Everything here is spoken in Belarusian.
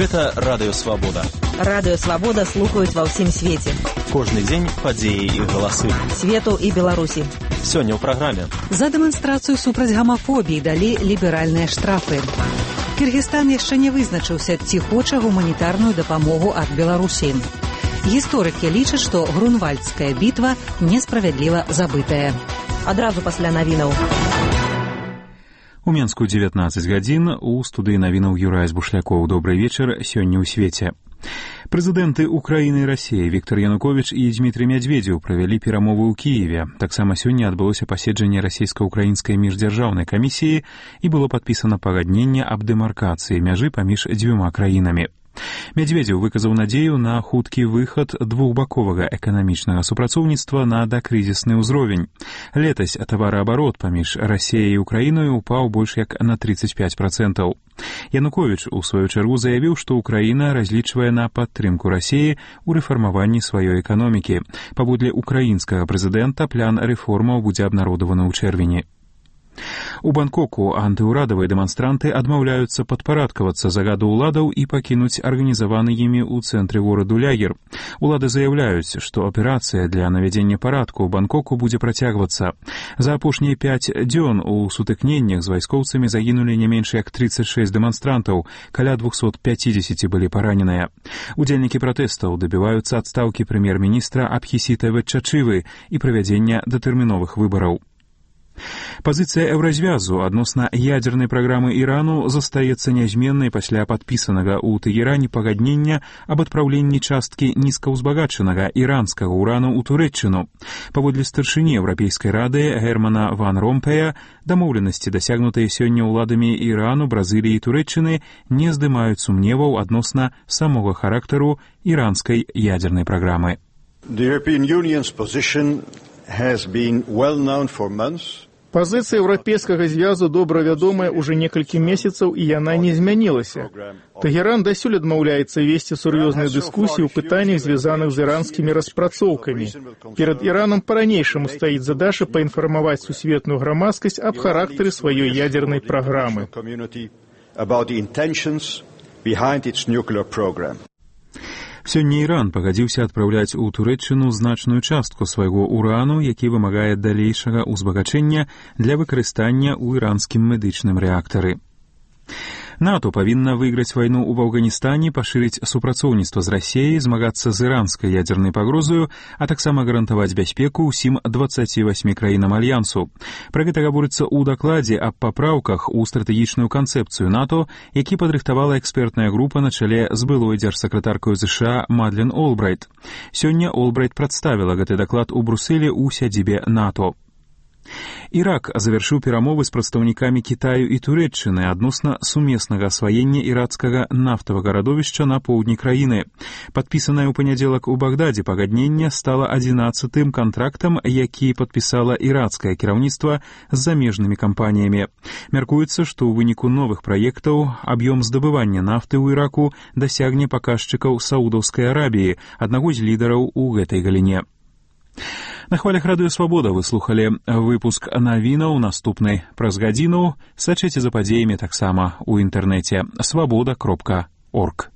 Гэта Радыё Свабода. Радыё Свабода слухаюць ва ўсім свеце. Кожны дзень падзеі і галасы. Свету і Беларусі. Сёння ў праграме. За дэманстрацыю супраць гамафобіі далі ліберальныя штрафы. Кыргызстан яшчэ не вызначыўся, ці хоча гуманітарную дапамогу ад Беларусі. Гісторыкі лічаць, што Грунвальдская бітва несправядліва забытая. Адразу пасля навінаў. У Менску 19 гадзін, у студыі навінаў Юрай Збушлякоў. Добрый вечар, сёння ў свеце. Прэзідэнты Украіны і Расіі Віктор Януковіч і Дмітрый Мядзведзеў правялі перамовы ў Кіеве. Таксама сёння адбылося паседжанне расійска-украінскай міждзяржаўнай камісіі і было падпісана пагадненне аб дэмаркацыі мяжы паміж дзвюма краінамі. Мядзведзеў выказаў надзею на хуткі выхад двухбаковага эканамічнага супрацоўніцтва на дакрызісны ўзровень. Летась тавараабарот паміж Расіяй і Украіною упаў больш як на 35%. Януковіч у сваю чаргу заявіў, што Украіна разлічвае на падтрымку Расіі ў рэфармаванні сваёй эканомікі. Паводле украінскага прэзідэнта, план рэформаў будзе абнародаваны ў чэрвені. У Бангкоку антыўрадавыя дэманстранты адмаўляюцца падпарадкавацца загаду ўладаў і пакінуць арганізаваны імі ў цэнтры гораду лагер. Улады заяўляюць, што аперацыя для навядзення парадку ў Бангкоку будзе працягвацца. За апошнія 5 дзён у сутыкненнях з вайскоўцамі загінулі не менш як 36 дэманстрантаў, каля 250 былі параненыя. Удзельнікі пратэстаў дабіваюцца адстаўкі прэм'ер-міністра Абхісіта Ветчачывы і правядзення датэрміновых выбараў. Пазіцыя Еўразвязу адносна ядзернай праграмы Ірану застаецца нязменнай пасля падпісанага ў Тэгеране пагаднення аб адпраўленні часткі нізкаўзбагачанага іранскага ўрану ў Турэччыну. Паводле старшыні Еўрапейскай рады Германа Ван Ромпея, дамоўленасці, дасягнутыя сёння ўладамі Ірану, Бразыліі і Турэччыны, не здымаюць сумневаў адносна самога характару іранскай ядзернай праграмы. The European Union's position has been well known for months. Пазіцыя Еўрапейскага звязу добра вядомая ўжо некалькі месяцаў, і яна не змянілася. Тэгеран дасюль адмаўляецца весці сур'ёзныя дыскусіі ў пытаннях, звязаных з іранскімі распрацоўкамі. Перад Іранам па-ранейшаму стаіць задача паінфармаваць сусветную грамадскасць аб характары сваёй ядзернай праграмы. Сёння Іран пагадзіўся адпраўляць у Турэччыну значную частку свайго урану, які вымагае далейшага ўзбагачэння для выкарыстання ў іранскім медычным рэактары. НАТО павінна выйграць вайну ў Афганістане, пашырыць супрацоўніцтва з Расіяй, змагацца з іранскай ядзернай пагрозаю, а таксама гарантаваць бяспеку ўсім 28 краінам альянсу. Пра гэта гаворыцца ў дакладзе аб папраўках у стратэгічную канцэпцыю НАТО, які падрыхтавала экспертная група на чале з былой дзяржсакратаркай США Мадлен Олбрайт. Сёння Олбрайт прадставіла гэты даклад у Брусэлі ў сядзібе НАТО. Ірак завяршыў перамовы з прадстаўнікамі Кітаю і Турэччыны адносна сумеснага асваення іракскага нафтавага радовішча на поўдні краіны. Падпісанае ў панядзелак у Багдадзе пагадненне стала 11-тым кантрактам, які падпісала іракскае кіраўніцтва з замежнымі кампаніямі. Мяркуецца, што ў выніку новых праектаў аб'ём здабывання нафты ў Іраку дасягне паказчыкаў Саудаўскай Арабіі, аднаго з лідараў у гэтай галіне. На хвалях Радыё Свабода вы слухалі выпуск навінаў, наступны праз гадзіну. Сачыце за падзеямі таксама ў інтэрнэце свабода.орг.